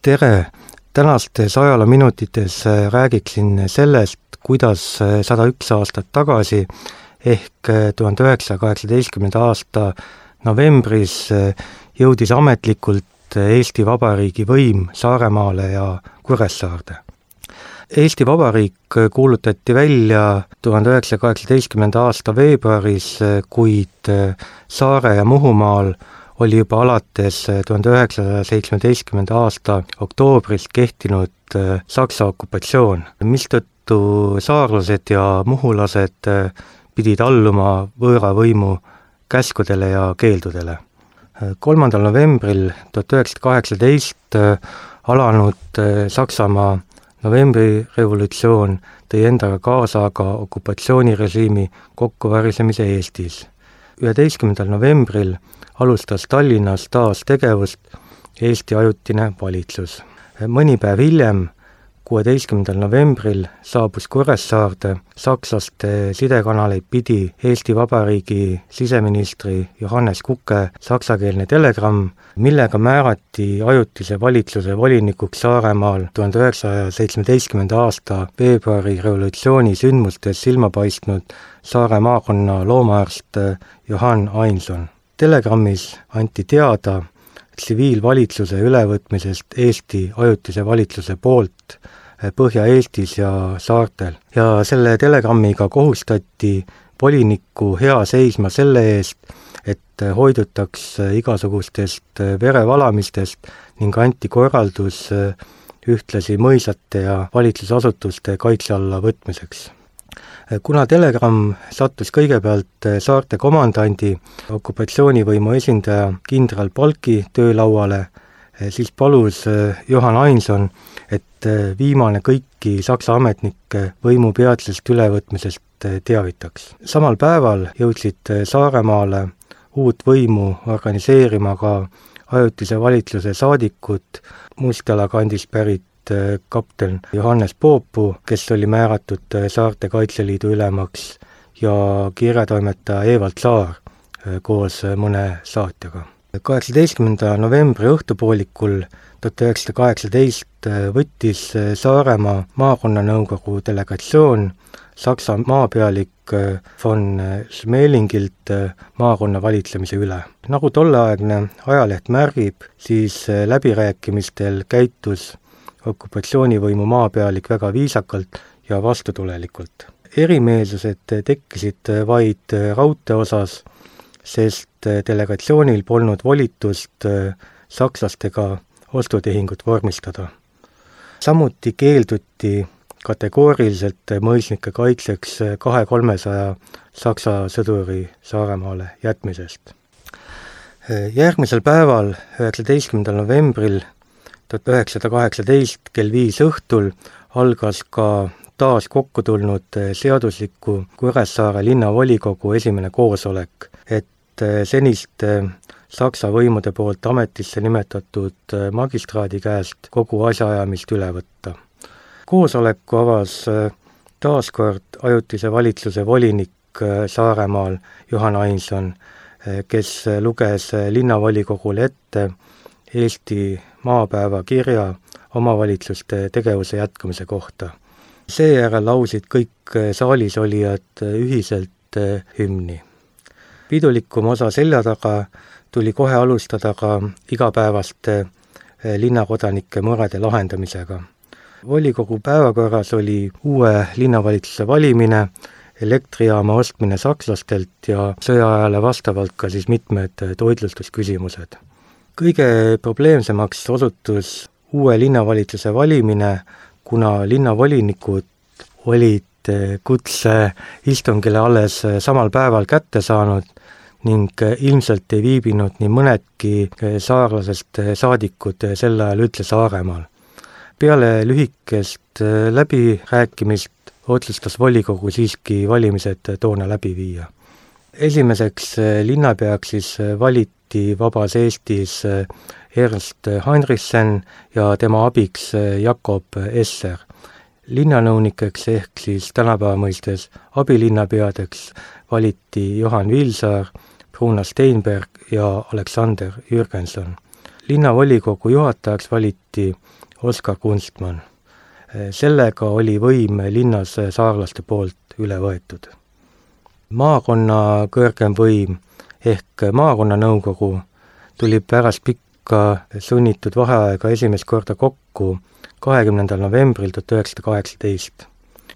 Tere! Tänastes ajaloominutites räägiksin sellest, kuidas 101 aastat tagasi ehk 1918. aasta novembris jõudis ametlikult Eesti Vabariigi võim Saaremaale ja Kuressaarde. Eesti Vabariik kuulutati välja 1918. aasta veebruaris, kuid Saare ja Muhumaal oli juba alates 1917. aasta oktoobris kehtinud Saksa okupatsioon, mistõttu saarlased ja muhulased pidid alluma võõra võimu käskudele ja keeldudele. 3. novembril 1918 alanud Saksamaa novembrirevolutsioon tõi endaga kaasa aga okupatsioonirežiimi kokkuvarisemise Eestis. 11. novembril alustas Tallinnas taas tegevust Eesti ajutine valitsus. Mõni päev hiljem, 16. novembril saabus Kuressaarde sakslaste sidekanaleid pidi Eesti Vabariigi siseministri Johannes Kuke saksakeelne telegramm, millega määrati ajutise valitsuse volinikuks Saaremaal 1917. aasta veebruari revolutsiooni sündmustes silma paistnud Saare maakonna loomaarst Johann Ainson. Telegrammis anti teada tsiviilvalitsuse ülevõtmisest Eesti ajutise valitsuse poolt Põhja-Eestis ja saartel. Ja selle telegrammiga kohustati volinikku hea seisma selle eest, et hoidutaks igasugustest verevalamistest ning anti korraldus ühtlasi mõisate ja valitsusasutuste kaitse alla võtmiseks. Kuna telegramm sattus kõigepealt saarte komandandi, okupatsioonivõimu esindaja kindral Palki töölauale, siis palus Johann Ainson, et viimane kõiki Saksa ametnikke võimu peatsest ülevõtmisest teavitaks. Samal päeval jõudsid Saaremaale uut võimu organiseerima ka ajutise valitsuse saadikud Mustjala kandist pärit kapten Johannes Poopu, kes oli määratud Saarte Kaitseliidu ülemaks, ja kirjatoimetaja Evald Saar koos mõne saatjaga. 18. novembri õhtupoolikul 1918 võttis Saaremaa maakonnanõukogu delegatsioon Saksa maapealik von Schmelingilt maakonna valitsemise üle. Nagu tolleaegne ajaleht märgib, siis läbirääkimistel käitus okupatsioonivõimu maapealik väga viisakalt ja vastutulelikult. Erimeelsused tekkisid vaid raudtee osas, sest delegatsioonil polnud volitust sakslastega ostutehingut vormistada. Samuti keelduti kategooriliselt mõisnike kaitseks 200-300 Saksa sõduri Saaremaale jätmisest. Järgmisel päeval, 19. novembril 1918 kell 5 õhtul algas ka taas kokku tulnud seadusliku Kuressaare linnavolikogu esimene koosolek, et senist Saksa võimude poolt ametisse nimetatud magistraadi käest kogu asjaajamist üle võtta. Koosoleku avas taaskord ajutise valitsuse volinik Saaremaal Johann Ainson, kes luges linnavolikogule ette Eesti maapäeva kirja omavalitsuste tegevuse jätkumise kohta. Seejärel lausid kõik saalis olijad ühiselt hümni. Pidulikum osa selja taga tuli kohe alustada ka igapäevaste linnakodanike murede lahendamisega. Volikogu päevakorras oli uue linnavalitsuse valimine, elektrijaama ostmine sakslastelt ja sõjaajale vastavalt ka siis mitmed toitlustusküsimused. Kõige probleemsemaks osutus uue linnavalitsuse valimine, kuna linnavolinikud olid kutse istungile alles samal päeval kätte saanud ning ilmselt ei viibinud nii mõnedki saarlasest saadikud sel ajal üldse Saaremaal. Peale lühikest läbirääkimist otsustas volikogu siiski valimised toona läbi viia. Esimeseks linnapeaks siis valiti Vabas Eestis Ernst Heinrichsen ja tema abiks Jakob Esser. Linnanõunikeks ehk siis tänapäeva mõistes abilinnapeadeks valiti Johann Vilsaar, Bruna Steinberg ja Alexander Jürgenson. Linnavolikogu juhatajaks valiti Oskar Kunstmann. Sellega oli võim linnas saarlaste poolt üle võetud. Maakonna kõrgem võim ehk maakonnanõukogu tuli pärast pikka sunnitud vaheaega esimest korda kokku 20. novembril 1918.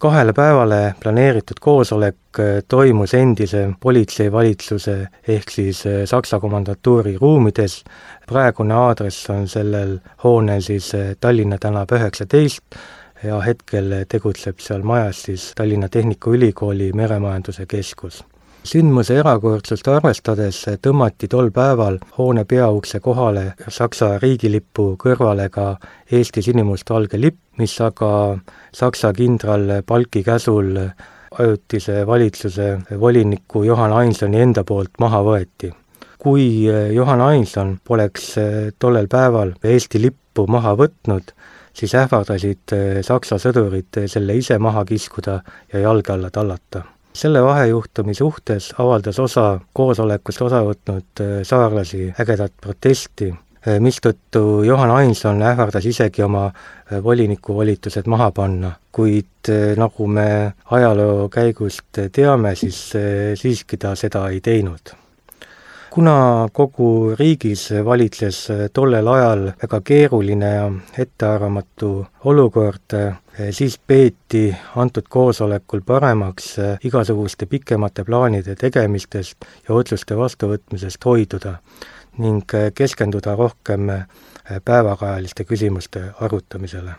2 päevale planeeritud koosolek toimus endise politseivalitsuse ehk siis Saksa komandatuuri ruumides. Praegune aadress on sellel hoonel siis Tallinna tänav 19 ja hetkel tegutseb seal majas siis Tallinna Tehnikaülikooli meremajanduse keskus. Sündmuse erakordsust arvestades tõmmati tol päeval hoone peaukse kohale Saksa riigilippu kõrvale ka Eesti sinimustvalge lipp, mis aga Saksa kindral Palki käsul ajutise valitsuse voliniku Johan Ainsoni enda poolt maha võeti. Kui Johan Ainson poleks tollel päeval Eesti lippu maha võtnud, siis ähvardasid Saksa sõdurid selle ise maha kiskuda ja jalge alla tallata. Selle vahejuhtumi suhtes avaldas osa koosolekust osa võtnud saarlasi ägedat protesti, mistõttu Johan Ainson ähvardas isegi oma voliniku volitused maha panna, kuid nagu me ajaloo käigust teame, siis siiski ta seda ei teinud. Kuna kogu riigis valitses tollel ajal väga keeruline ja ettearvamatu olukord, siis peeti antud koosolekul paremaks igasuguste pikemate plaanide tegemistest ja otsuste vastuvõtmisest hoiduda ning keskenduda rohkem päevakajaliste küsimuste arutamisele.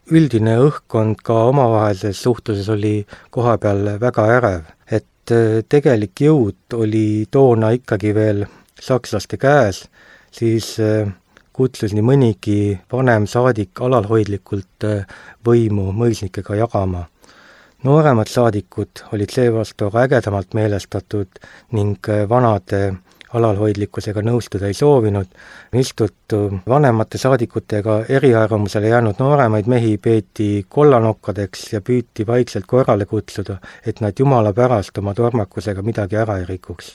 Üldine õhkkond ka omavahelises suhtluses oli kohapeal väga ärev, et tegelik jõud oli toona ikkagi veel sakslaste käes, siis kutsus nii mõnigi vanem saadik alalhoidlikult võimu mõisnikega jagama. Nooremad saadikud olid seevastu ägedamalt meelestatud ning vanade alalhoidlikkusega nõustuda ei soovinud, mistõttu vanemate saadikutega eriarvamusele jäänud nooremaid mehi peeti kollanokkadeks ja püüti vaikselt korrale kutsuda, et nad jumala pärast oma tormakusega midagi ära ei rikuks.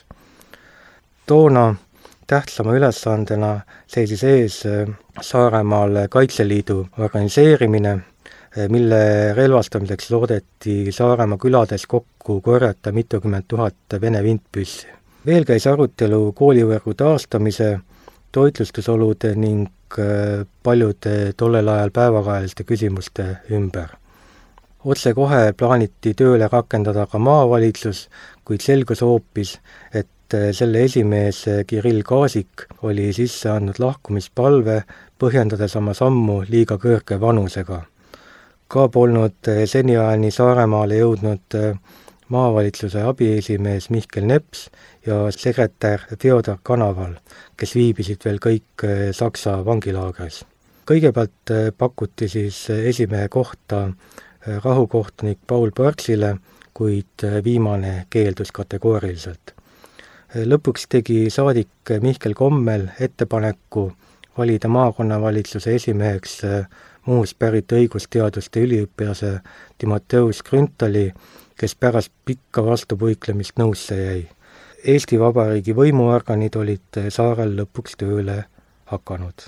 Toona tähtsama ülesandena seisis ees Saaremaal Kaitseliidu organiseerimine, mille relvastamiseks loodeti Saaremaa külades kokku korjata mitukümmend tuhat Vene vintpüssi. Veel käis arutelu koolivõrgu taastamise, toitlustusolude ning paljude tollel ajal päevakajaliste küsimuste ümber. Otsekohe plaaniti tööle rakendada ka maavalitsus, kuid selgus hoopis, et selle esimees Kirill Kaasik oli sisse andnud lahkumispalve, põhjendades oma sammu liiga kõrge vanusega. Ka polnud seniajani Saaremaale jõudnud maavalitsuse abiesimees Mihkel Neps ja sekretär Theodor Kanaval, kes viibisid veel kõik Saksa vangilaagris. Kõigepealt pakuti siis esimehe kohta rahukohtunik Paul Parksile, kuid viimane keeldus kategooriliselt. Lõpuks tegi saadik Mihkel Kommel ettepaneku valida maakonnavalitsuse esimeheks muust pärit õigusteaduste üliõpilase Timoteus Grünthali, kes pärast pikka vastupuiklemist nõusse jäi. Eesti Vabariigi võimuorganid olid saarel lõpuks tööle hakanud.